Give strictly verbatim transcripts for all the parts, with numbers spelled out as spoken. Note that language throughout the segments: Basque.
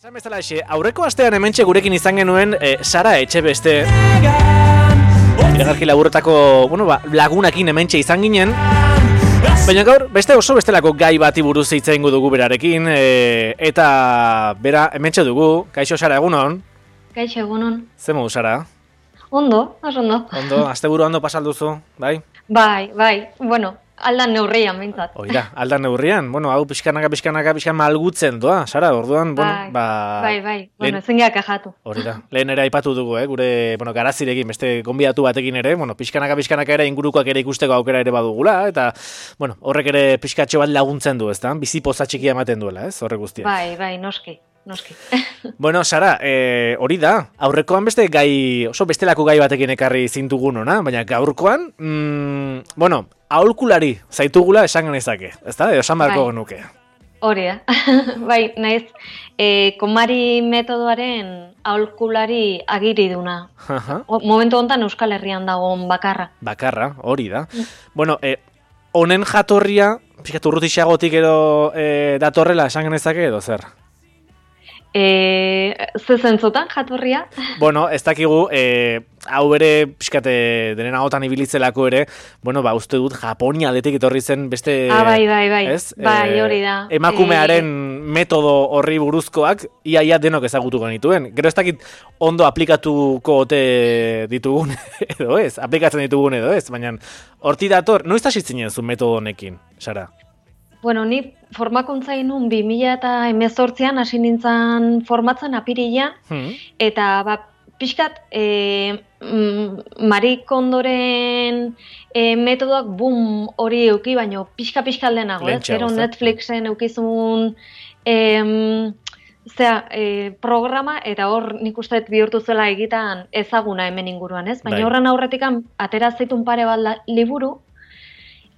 Esan bezala exe, aurreko astean hementxe gurekin izan genuen e, Sara Etxebeste. Iragarki laburretako, bueno, ba, lagunakin hementxe izan ginen. Baina gaur, beste oso bestelako gai bati buruz hitz egingo dugu berarekin. E, eta bera hementxe dugu. Kaixo Sara, egunon? Kaixo, egunon. Zer modu, Sara? Ondo, oso ondo. Ondo, asteburu ondo pasalduzu, bai? Bai, bai, bueno, aldan neurrian behintzat. Oida, aldan neurrian, bueno, hau pixkanaka, pixkanaka, pixkan malgutzen doa, Sara, orduan, bueno, bai, ba... Bai, bai, bueno, ezin geak ajatu. Hori da, lehen ere aipatu dugu, eh, gure, bueno, garazirekin, beste gonbidatu batekin ere, bueno, pixkanaka, pixkanaka ere ingurukoak ere ikusteko aukera ere badugula, eta, bueno, horrek ere pixkatxo bat laguntzen du, ezta? Bizi poza txikia ematen duela, ez, horrek guztia. Bai, bai, noski. Noski. Bueno, Sara, eh, hori da, aurrekoan beste gai, oso bestelako gai batekin ekarri zintugun ona, baina gaurkoan, mm, bueno, aholkulari zaitugula esan genezake, ezta? Edo esan beharko genuke. Hori da, bai, naiz, e, Konmari metodoaren aholkulari agiri duna. O, momentu honetan Euskal Herrian dagoen bakarra. Bakarra, hori da. Mm. Bueno, eh, honen jatorria, pixkat urrutixagotik edo eh, datorrela esan genezake edo zer? E, ze zentzotan jatorria? Bueno, ez dakigu, e, hau ere, pixkate, denen ahotan ibilitzelako ere, bueno, ba, uste dut, Japonia aldetik etorri zen beste... Ah, bai, bai, bai, ez? bai, hori da. E, emakumearen e... metodo horri buruzkoak, iaia denok ezagutuko nituen. Gero ez dakit ondo aplikatuko ote ditugun edo ez, aplikatzen ditugun edo ez, baina horti dator, noiz hasitzen zu metodo honekin, Sara? Bueno, ni formakuntza inun bi mila hemezortzian hasi nintzen formatzen apirilean, hmm. eta ba, pixkat e, mm, Marie Kondoren e, metodoak boom hori euki, baino pixka-pixka aldenago, ez? Gero Netflixen eukizun e, zera, e, programa, eta hor nik uste bihurtu zela egitan ezaguna hemen inguruan, ez? Baina horren aurretik atera zaitun pare bat liburu,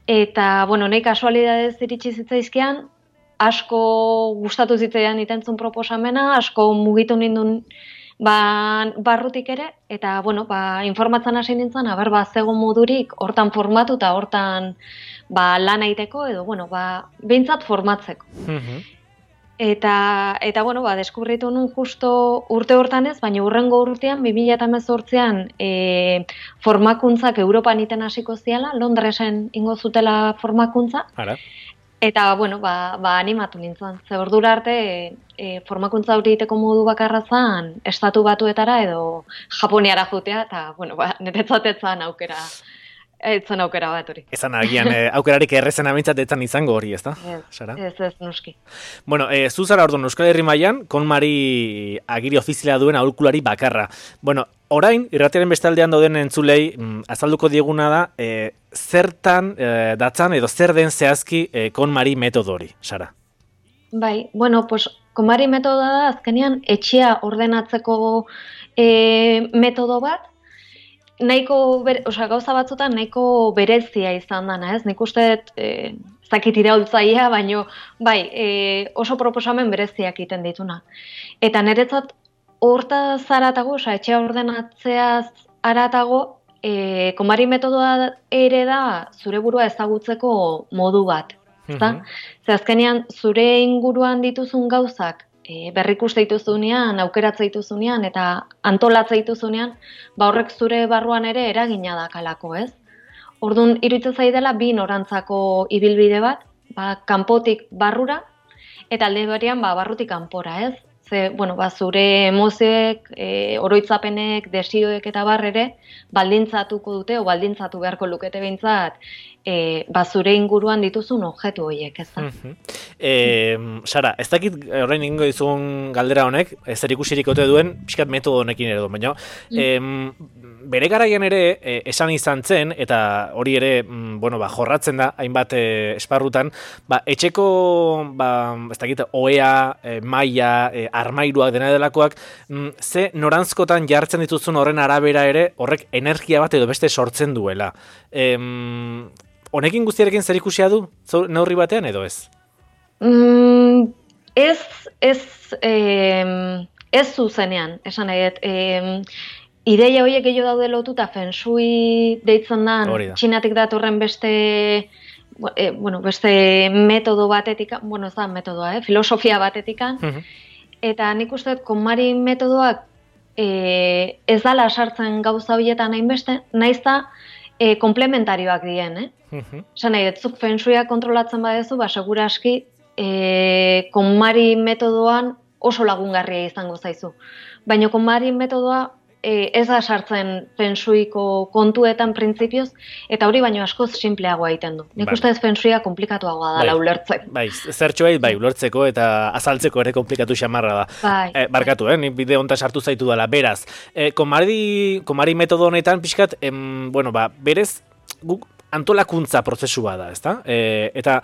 eta, bueno, nahi kasualidadez iritsi zitzaizkian, asko gustatu zitzaidan itentzun proposamena, asko mugitu nindun ba, barrutik ere, eta, bueno, ba, informatzen hasi nintzen, aber, ba, zegoen modurik, hortan formatu eta hortan ba, lan egiteko, edo, bueno, ba, behintzat formatzeko. Mm-hmm. Eta, eta, bueno, ba, deskubritu nun justo urte hortan ez, baina urrengo urtean, bi mila hemezortzian e, formakuntzak Europan iten hasiko ziala, Londresen ingo zutela formakuntza. Ara. Eta, bueno, ba, ba animatu nintzen. Ze ordura arte, e, e, formakuntza hori egiteko modu bakarra zan, estatu batuetara edo Japoniara jutea, eta, bueno, ba, niretzatetzan aukera. Etzen aukera bat hori. Ezan agian eh, aukerarik errezen amintzat etzan izango hori, ezta? Ez, ez, ez, noski. Bueno, eh, zu zara orduan Euskal Herri mailan Konmari agiri ofiziala duen aholkulari bakarra. Bueno, orain, irratiaren bestaldean dauden entzulei, mm, azalduko dieguna da, eh, zertan eh, datzan edo zer den zehazki eh, Konmari metodo hori, Sara? Bai, bueno, pues, Konmari metodoa da azkenean etxea ordenatzeko eh, metodo bat, nahiko, osea, gauza batzutan nahiko berezia izan dana, ez? Nik uste, e, zakit iraultzaia, baino, bai, e, oso proposamen bereziak egiten dituna. Eta niretzat, horta zaratago, osea, etxea ordenatzeaz aratago, e, Konmari metodoa ere da zure burua ezagutzeko modu bat, ezta? Mm-hmm. Ze azkenean, zure inguruan dituzun gauzak, E, berrikuste dituzunean, aukeratze dituzunean eta antolatze dituzunean, ba horrek zure barruan ere eragina dakalako, ez? Orduan, iruditzen zaidala bi norantzako ibilbide bat, ba, kanpotik barrura, eta alde berean ba, barrutik kanpora, ez? Ze, bueno, ba, zure emozioek, e, oroitzapenek, desioek eta bar ere, baldintzatuko dute, o baldintzatu beharko lukete behintzat, e, ba, zure inguruan dituzun objektu horiek, ez da? Mm-hmm. E, Sara, ez dakit orain egingo dizun galdera honek, ez zer ikusirik ote duen, pixkat metodo honekin ere du, baina, mm. e, bere garaian ere e, esan izan zen, eta hori ere, mm, bueno, ba, jorratzen da, hainbat e, esparrutan, ba, etxeko, ba, ez dakit, oea, e, maila, e, armairuak dena delakoak, mm, ze norantzkotan jartzen dituzun horren arabera ere, horrek energia bat edo beste sortzen duela. E, honekin guztiarekin zer ikusia du, neurri batean edo ez? Mm, ez, ez, eh, ez zuzenean, esan nahi, eh, ideia horiek gehiago daude lotuta feng shui deitzen dan, Txinatik datorren beste, eh, bueno, beste metodo batetik, bueno, ez da metodoa, eh, filosofia batetik, uh-huh. eta nik uste KonMari metodoak e, ez dala sartzen gauza horietan hainbeste, naizta e, komplementarioak dien, eh? Uh-huh. Esan nahi, etzuk feng shuia kontrolatzen badezu, ba, segura aski e, KonMari metodoan oso lagungarria izango zaizu. Baina KonMari metodoa e, ez da sartzen feng shuiko kontuetan printzipioz, eta hori baino askoz simpleagoa egiten du. Nik uste ez feng shuia komplikatuagoa dela ulertzeko. Bai, zertxo bai, bai, ulertzeko eta azaltzeko ere komplikatu xamarra da. Bai. Eh, barkatu, eh, nik bide honta sartu zaitu dela, beraz. Eh, KonMari, KonMari metodo honetan, pixkat, em, bueno, ba, berez, guk antolakuntza prozesua da, ezta? Eh, eta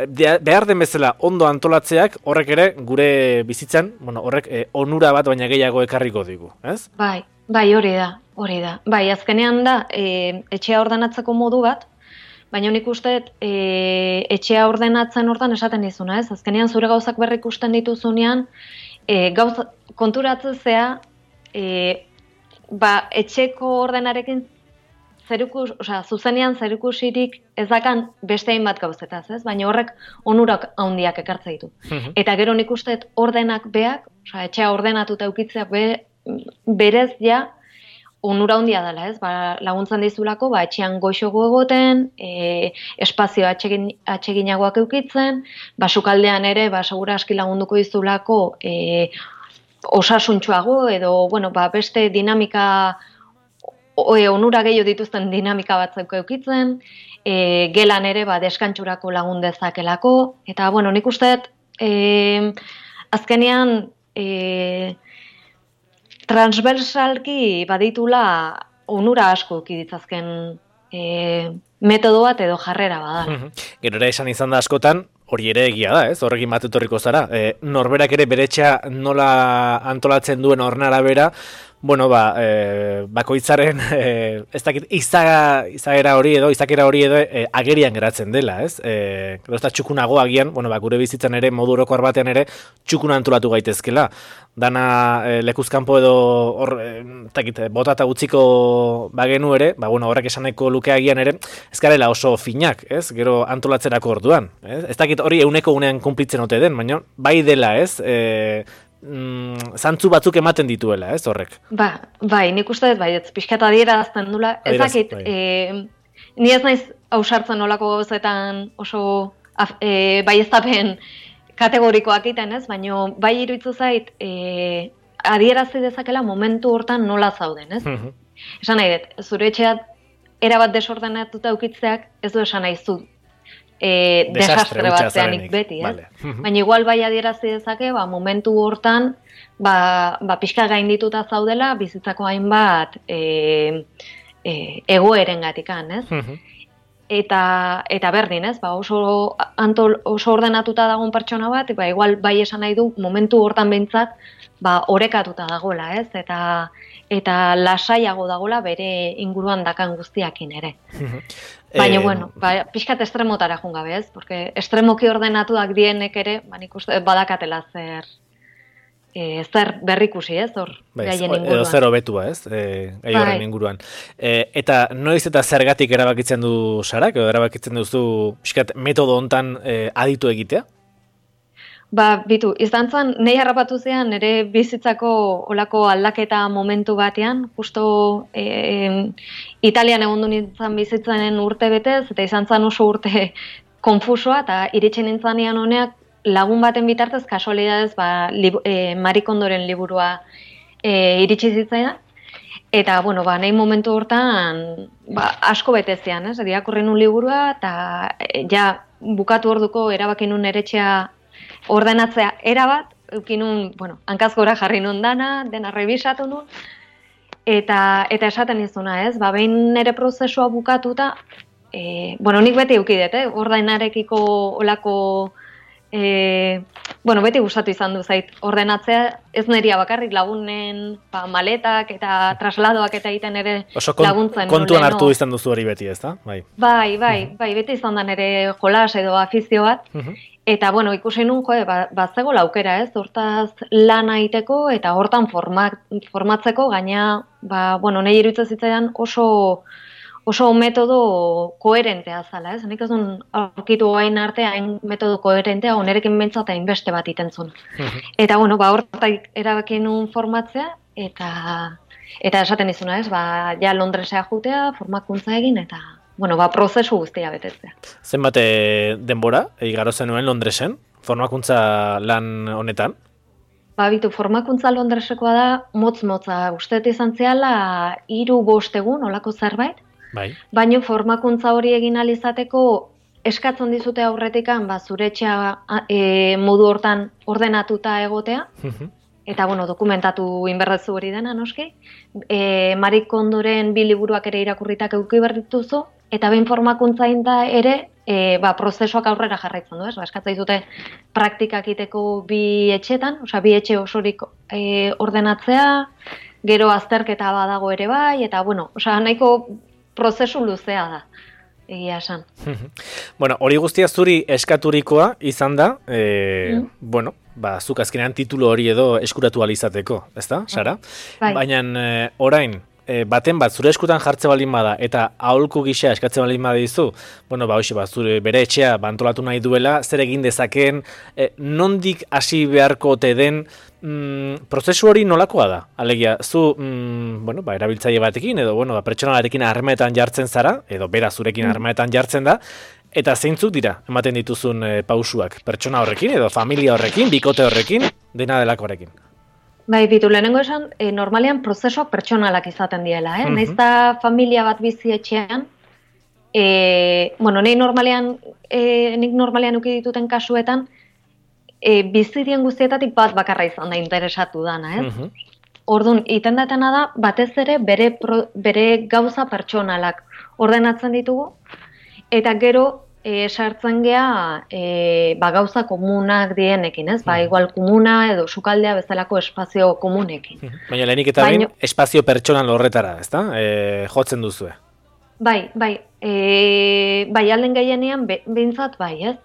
behar den bezala ondo antolatzeak horrek ere gure bizitzan, bueno, horrek eh, onura bat baina gehiago ekarriko digu, ez? Bai, bai, hori da, hori da. Bai, azkenean da, e, etxea ordenatzeko modu bat, baina nik uste e, etxea ordenatzen hortan esaten dizuna, ez? Azkenean zure gauzak berrik ikusten dituzunean, e, gauz konturatzea, e, ba, etxeko ordenarekin zerukus, osea, zuzenean zerukusirik ez dakan beste hainbat gauzetaz, ez? Baina horrek onurak handiak ekartze ditu. Uh-huh. Eta gero nik uste ordenak beak, osea, etxea ordenatuta eukitzeak be, berez ja onura handia dela, ez? Ba, laguntzen dizulako, ba, etxean goixogo egoten, e, espazio atsegin, atseginagoak eukitzen, ba, sukaldean ere, ba, segura aski lagunduko dizulako e, osasuntxoago edo, bueno, ba, beste dinamika Oe, onura gehiago dituzten dinamika batzuk eukitzen, e, gelan ere ba, deskantxurako lagun dezakelako, eta bueno, nik usteet e, azkenean e, transversalki baditula onura asko eukiditzazken e, metodo bat edo jarrera badala. Gero ere esan izan da askotan, hori ere egia da, ez? Horrekin bat etorriko zara. E, norberak ere beretxea nola antolatzen duen horren bera, bueno, ba, e, bakoitzaren, e, ez dakit, izaga, izagera hori edo, izakera hori edo e, agerian geratzen dela, ez? E, gero ez da txukunago agian, bueno, ba, gure bizitzan ere, modu orokor batean ere, txukuna antolatu gaitezkela. Dana e, lekuzkanpo edo, hor, e, ez dakit, botata utziko bagenu ere, ba, bueno, horrek esaneko luke agian ere, ez garela oso finak, ez? Gero antolatzerako orduan, ez? Ez dakit hori euneko unean kumplitzen ote den, baina bai dela, ez? E, Mm, zantzu batzuk ematen dituela, ez horrek? Ba, bai, nik uste dut, bai, ez pixkat adierazten dula, ez dakit, bai. e, ni ez naiz ausartzen nolako gauzetan oso e, baieztapen kategorikoak iten, ez, baina bai iruditzen zait, e, adierazi dezakela momentu hortan nola zauden, ez? Uh-huh. Esan nahi dut, zure etxeat erabat desordenatuta ukitzeak ez du esan nahi zu. E, desastre, desastre batzeanik beti, eh? Vale. Baina igual bai adierazi dezake, ba, momentu hortan, ba, ba pixka gaindituta zaudela, bizitzako hainbat e, e, egoeren gatikan, ez? Uh-huh. Eta, eta berdin, ez? Ba, oso, antol, oso ordenatuta dagoen pertsona bat, ba, igual bai esan nahi du, momentu hortan behintzat, ba, orekatuta dagoela, ez? Eta, eta lasaiago dagoela bere inguruan dakan guztiakin ere. Uh-huh. Baina, eh, bueno, ba, pixkat estremotara jungabe, ez? Porque estremoki ordenatuak dienek ere, ba, nik uste badakatela zer, e, zer berrikusi, ez? Hor, gaien inguruan. Edo zer hobetua, ez? E, gai horren inguruan. E, eta noiz eta zergatik erabakitzen du Sarak, edo erabakitzen duzu pixkat metodo hontan e, aditu egitea? Ba, bitu, izan zen, nahi harrapatu zean, nire bizitzako olako aldaketa momentu batean, justo e, Italian egon du nintzen bizitzenen urte betez, eta izan zen oso urte konfusoa, eta iritsi nintzen ean honeak lagun baten bitartez, kasualidadez, ba, lib, e, Marie Kondoren liburua e, iritsi zitzaidan. Eta, bueno, ba, nahi momentu hortan, ba, asko betezean, ez? Irakurri nun liburua, eta e, ja, bukatu orduko erabaki nun eretxea ordenatzea erabat, eukinun, bueno, hankaz gora jarri nun dana, dena rebisatu nun, eta, eta esaten izuna, ez? Ba, behin nire prozesua bukatuta, e, bueno, nik beti eukidet, eh? Ordenarekiko olako, e, bueno, beti gustatu izan du zait, ordenatzea ez neria bakarrik lagunen ba, maletak eta trasladoak eta egiten ere oso kon, laguntzen. Kontuan hartu no? Izan duzu hori beti, ez da? Bai, bai, bai, uh-huh. bai beti izan da nire jolas edo afizio bat, uh-huh. Eta, bueno, ikusi nun, jo, bat zego laukera, ez, hortaz lana egiteko eta hortan format, formatzeko, gaina, ba, bueno, nahi iruditzen zitzaidan oso, oso metodo koherentea zala, ez? Nik ez duen aurkitu hain arte hain metodo koherentea, onerekin bentsat hain beste bat itentzun. Eta, bueno, ba, horretak erabaki nun formatzea, eta eta esaten izuna, ez? Ba, ja Londresea jutea, formakuntza egin, eta, bueno, ba, prozesu guztia betetzea. Zenbat denbora, igaro zenuen Londresen, formakuntza lan honetan? Ba, bitu, formakuntza Londresekoa da, motz-motza, usteet izan zehala, hiru bost egun, olako zerbait, bai. Baina formakuntza hori egin alizateko eskatzen dizute aurretikan, ba, zure etxea e, modu hortan ordenatuta egotea, eta, bueno, dokumentatu inberrezu hori dena, noski, e, Marie Kondoren bi liburuak ere irakurritak eduki behar dituzu, eta behin formakuntza da ere, e, ba, prozesuak aurrera jarraitzen du, ez? Ba, eskatzen dizute praktikak iteko bi etxetan, osea, bi etxe osorik e, ordenatzea, gero azterketa badago ere bai, eta, bueno, osea, nahiko prozesu luzea da, egia esan. Bueno, hori guztia zuri eskaturikoa izan da, e, mm. bueno, ba, zuk azkenean titulu hori edo eskuratu alizateko, ezta, Sara? Bai. Baina e, orain, e, baten bat zure eskutan jartze balin bada eta aholku gisa eskatzen balin badizu, bueno, ba, hoxe, ba, zure bere etxea bantolatu nahi duela, zer egin dezakeen, e, nondik hasi beharko te den, Mm, prozesu hori nolakoa da? Alegia, zu mm, bueno, ba, erabiltzaile batekin edo bueno, ba, pertsonalarekin harremanetan jartzen zara, edo bera zurekin harremanetan jartzen da, eta zeintzuk dira ematen dituzun e, pausuak? Pertsona horrekin edo familia horrekin, bikote horrekin, dena delakoarekin? Bai, bitu, lehenengo esan, e, normalean prozesuak pertsonalak izaten diela, eh? Uh-huh. Naiz da familia bat bizi etxean, e, bueno, nik normalean, e, nik normalean uki dituten kasuetan, E, bizirien guztietatik bat bakarra izan da interesatu dana, ez? Uh-huh. Orduan, iten datena da, batez ere bere, pro, bere gauza pertsonalak ordenatzen ditugu, eta gero e, sartzen gea e, ba, gauza komunak dienekin, ez? Ba, igual komuna edo sukaldea bezalako espazio komunekin. Uh-huh. Baina lehenik eta behin, espazio pertsonal horretara, ezta? E, jotzen duzue. Bai, bai, e, bai alden gehienean be, behintzat bai, ez?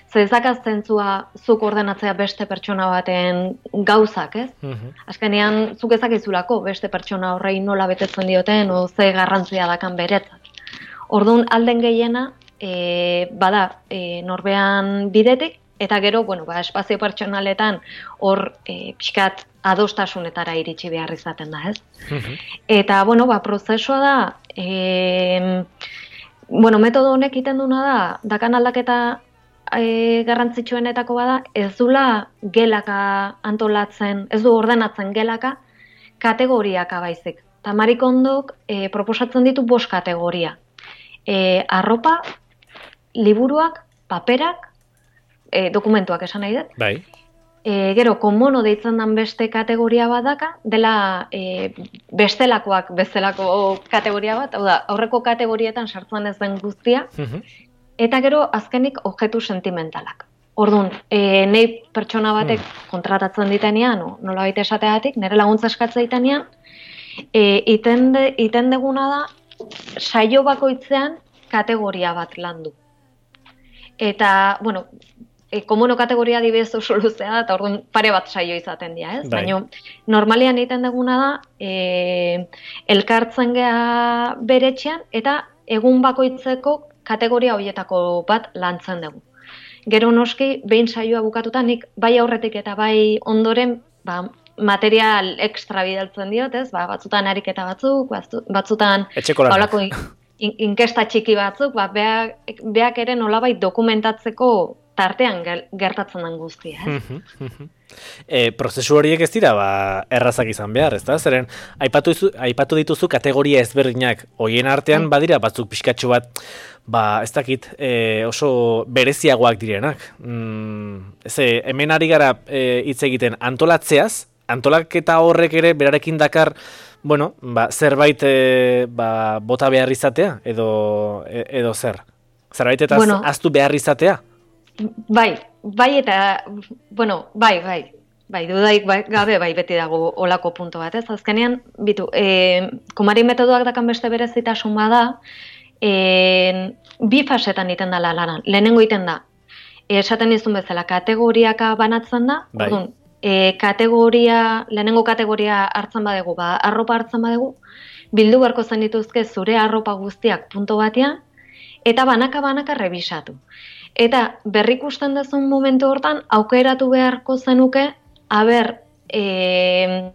Zezakaz zentzua zuk ordenatzea beste pertsona baten gauzak, ez? Uh-huh. Azkenean, zuk ezakizulako beste pertsona horrei nola betetzen dioten, o ze garrantzia dakan beretzat. Orduan, alden gehiena, e, bada, e, norbean bidetik, eta gero, bueno, ba, espazio pertsonaletan hor e, pixkat adostasunetara iritsi behar izaten da, ez? Uh-huh. Eta, bueno, ba, prozesua da, e, bueno, metodo honek iten duna da, dakan aldaketa E, garrantzitsuenetako bada, ez dula gelaka antolatzen, ez du ordenatzen gelaka, kategoriaka baizik. Ta Marie Kondok e, proposatzen ditu bost kategoria. E, arropa, liburuak, paperak, e, dokumentuak esan nahi dut. Bai. E, gero, komono deitzen den beste kategoria badaka, dela e, bestelakoak bezalako kategoria bat, hau da, aurreko kategorietan sartzen ez den guztia, uh-huh. Eta gero, azkenik, objektu sentimentalak. Orduan, e, nahi pertsona batek kontratatzen ditenean, no, nola baita esateatik, nire laguntza eskatzea ditenean, e, iten, de, iten deguna da, saio bakoitzean kategoria bat landu. Eta, bueno, e, komono kategoria dibidez oso luzea da, eta orduan pare bat saio izaten dira, ez? Bai. Baina, normalian egiten deguna da, e, elkartzen geha beretxean, eta egun bakoitzeko kategoria horietako bat lantzen dugu. Gero noski, behin saioa bukatuta, nik bai aurretik eta bai ondoren ba, material ekstra bidaltzen diot, ez? Ba, batzutan ariketa batzuk, batzutan baulako in, inkesta txiki batzuk, ba, beak, beak ere nolabait dokumentatzeko tartean gertatzen den guztia, ez? E, prozesu horiek ez dira ba, errazak izan behar, ez da? Zeren, aipatu, izu, aipatu dituzu kategoria ezberdinak, hoien artean badira batzuk pixkatxo bat, ba, ez dakit, e, oso bereziagoak direnak. Mm, ez, hemen ari gara hitz e, egiten antolatzeaz, antolaketa horrek ere berarekin dakar, bueno, ba, zerbait e, ba, bota behar izatea, edo, e, edo zer? Zerbait eta bueno, aztu behar izatea? Bai, bai eta, bueno, bai, bai, bai, dudaik bai, gabe bai beti dago olako punto bat, ez? Azkenean, bitu, e, komari metodoak dakan beste berezitasun bada, e, bi fasetan iten da lanan, lehenengo iten da, e, esaten izun bezala, kategoriaka banatzen da, bai. Orduan, e, kategoria, lehenengo kategoria hartzen badegu, ba, arropa hartzen badegu, bildu beharko zen dituzke zure arropa guztiak punto batean, eta banaka-banaka rebisatu. Eta berrikusten duzun momentu hortan, aukeratu beharko zenuke, aber, e,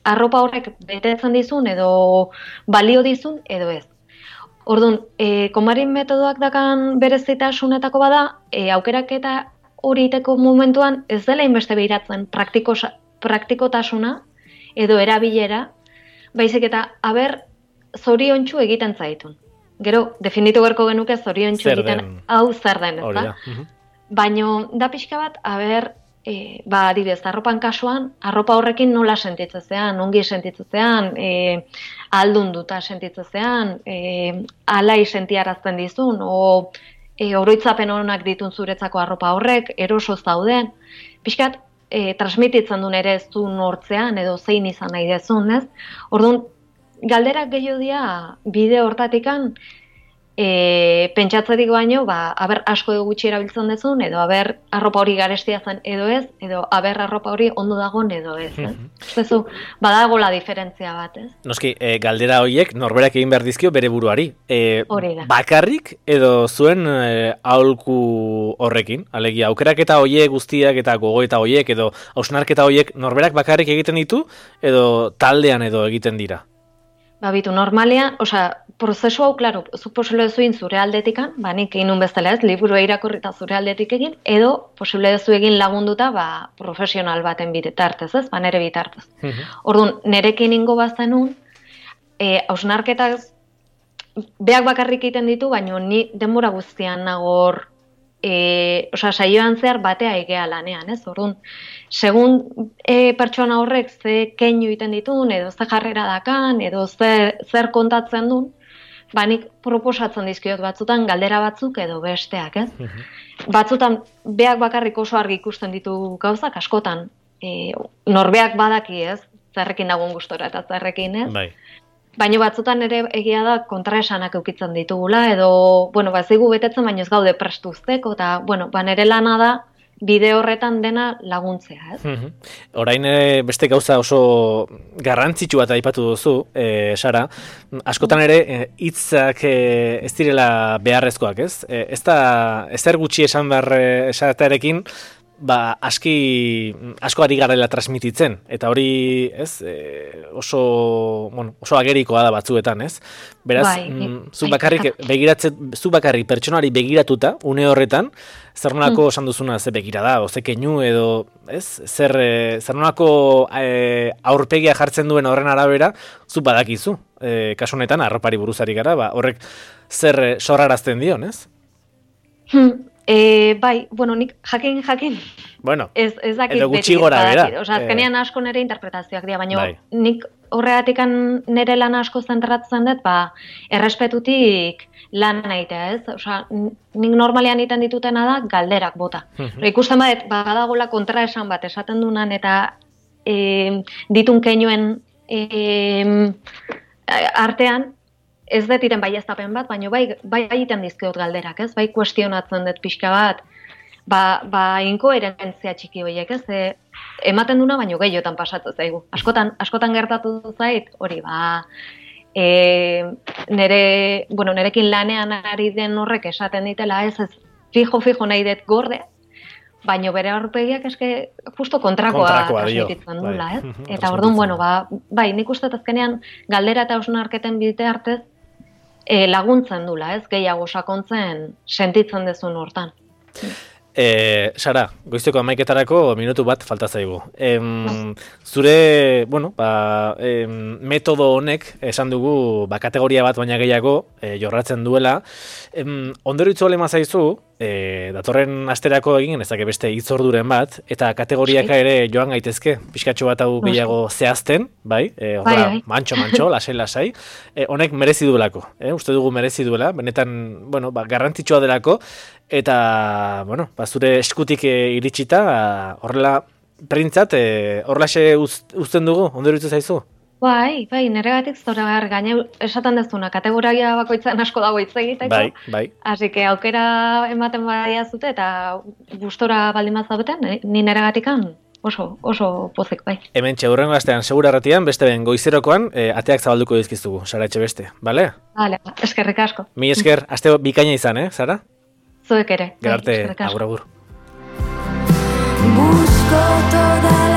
arropa horrek betetzen dizun, edo balio dizun, edo ez. Orduan, e, komarin metodoak dakan berezitasunetako bada, e, aukeraketa hori iteko momentuan ez dela inbeste behiratzen praktiko, praktikotasuna edo erabilera, baizik eta aber zoriontsu egiten zaitun. Gero, definitu berko genuke zoriontsu egiten hau zer den, ez da? Baina da pixka bat, aber, e, ba, adibidez, arropan kasuan, arropa horrekin nola sentitzezean, ongi sentitzezean, e, aldunduta sentitzezean, e, alai sentiarazten dizun, o e, oroitzapen honak ditun zuretzako arropa horrek, eroso zauden, pixkat, e, transmititzen duen ere ez du nortzean, edo zein izan nahi dezun, ez? Orduan, galderak gehiago dira bide hortatikan, E, pentsatzetik baino, ba, aber asko edo gutxi erabiltzen dezun, edo aber arropa hori garestia zen edo ez, edo aber arropa hori ondo dagoen edo ez. ez? Zezu, badagola diferentzia bat, ez? Noski, e, galdera horiek norberak egin behar dizkio bere buruari. E, hori da. Bakarrik edo zuen e, aholku horrekin, alegia, aukeraketa horiek guztiak eta gogoeta horiek edo hausnarketa horiek norberak bakarrik egiten ditu edo taldean edo egiten dira? Ba, bitu, normalean, osea, prozesu hau, klaro, zuk posible dezuin zure aldetikan, ba, nik egin nun bezala ez, liburua irakurri eta zure aldetik egin, edo posible dezu egin lagunduta, ba, profesional baten bitartez, ez, ba, nere bitartez. Orduan, nerekin ingo bazenun, e, hausnarketak beak bakarrik egiten ditu, baina ni denbora guztian nagor, e, osea, saioan zehar batea egea lanean, ez, orduan, segun e, pertsona horrek ze keinu egiten ditun, edo ze jarrera dakan, edo ze, zer kontatzen duen, ba nik proposatzen dizkiot batzutan galdera batzuk edo besteak, ez? Batzutan beak bakarrik oso argi ikusten ditu gauzak, askotan e, norbeak badaki, ez? Zerrekin dagoen gustora eta zerrekin, ez? Bai. Baina batzutan ere egia da kontraesanak eukitzen ditugula, edo, bueno, ba, zigu betetzen, baina ez gaude prestu uzteko, eta, bueno, ba, nere lana da, bide horretan dena laguntzea, ez? Mm-hmm. Orain ere beste gauza oso garrantzitsu bat aipatu duzu, e, Sara, askotan ere hitzak e, ez direla beharrezkoak, ez? E, ez da, ezer gutxi esan behar esatearekin, ba, aski, asko ari garela transmititzen, eta hori, ez, e, oso, bueno, oso agerikoa da batzuetan, ez? Beraz, bai, mm, zu bakarrik begiratzen, zu bakarrik pertsonari begiratuta, une horretan, zer nolako esan duzuna ze begira da, oze keinu edo, ez? Zer, e, zer nolako e, aurpegia jartzen duen horren arabera, zu badakizu, e, kasu honetan, arropari buruzari gara, ba, horrek zer e, sorrarazten dion, ez? Hmm. E, bai, bueno, nik jakin jakin. Bueno, ez, ez dakit edo gutxi gora bera. Osa, azkenean asko nire interpretazioak dira, baina bai. Nik horregatikan nire lan asko zentratzen dut, ba, errespetutik lan nahitea, ez? Osa, nik normalean egiten ditutena da galderak bota. Uh-huh. Ikusten badet, badagola kontraesan bat esaten dunan eta e, ditun keinuen e, artean, ez dut iren baieztapen bat, baina bai, bai egiten dizkiot galderak, ez? Bai kuestionatzen dut pixka bat, ba, ba inkoherentzia txiki horiek, ez? E, ematen duna, baina gehiotan pasatzen zaigu. Askotan, askotan gertatu zait, hori, ba, e, nere, bueno, nerekin lanean ari den horrek esaten ditela, ez, ez, fijo-fijo nahi dut gorde, baina bere aurpegiak eske justo kontrakoa transmititzen dula, ez? Eta orduan, bueno, ba, bai, nik uste azkenean galdera eta hausnarketen bitartez e, laguntzen dula, ez? Gehiago sakontzen sentitzen dezun hortan. E, Sara, goizteko amaiketarako minutu bat falta zaigu. Em, zure, bueno, ba, em, metodo honek esan dugu ba, kategoria bat baina gehiago e, jorratzen duela. Em, ondoro itzole mazaizu, e, datorren asterako egin, ezak beste itzorduren bat, eta kategoriaka ere joan gaitezke, pixkatxo bat hau gehiago zehazten, bai? E, Horra, bai, bai. mantxo-mantxo, lasai-lasai. E, honek merezi duelako, e, uste dugu merezi duela, benetan, bueno, ba, garrantzitsua delako, eta, bueno, ba, zure eskutik e, iritsita, horrela, printzat, e, horrelaxe uz, uzten dugu, ondoro itzu zaizu? Bai, bai, neregatik zora behar, gaine esaten dezuna, kategoria bakoitzan asko dago hitz egiteko. Bai, bai. Así que aukera ematen badia zute eta gustora baldin bat zaudeten, ni neregatikan oso, oso pozik bai. Hemen txeurrengo astean, segura erratian, beste ben goizerokoan, e, ateak zabalduko dizkiztugu, Sara Etxebeste, bale? Vale, eskerrik asko. Mi esker, aste bikaina izan, eh, Sara? Zuek ere. Gerarte, agur, agur. Busco toda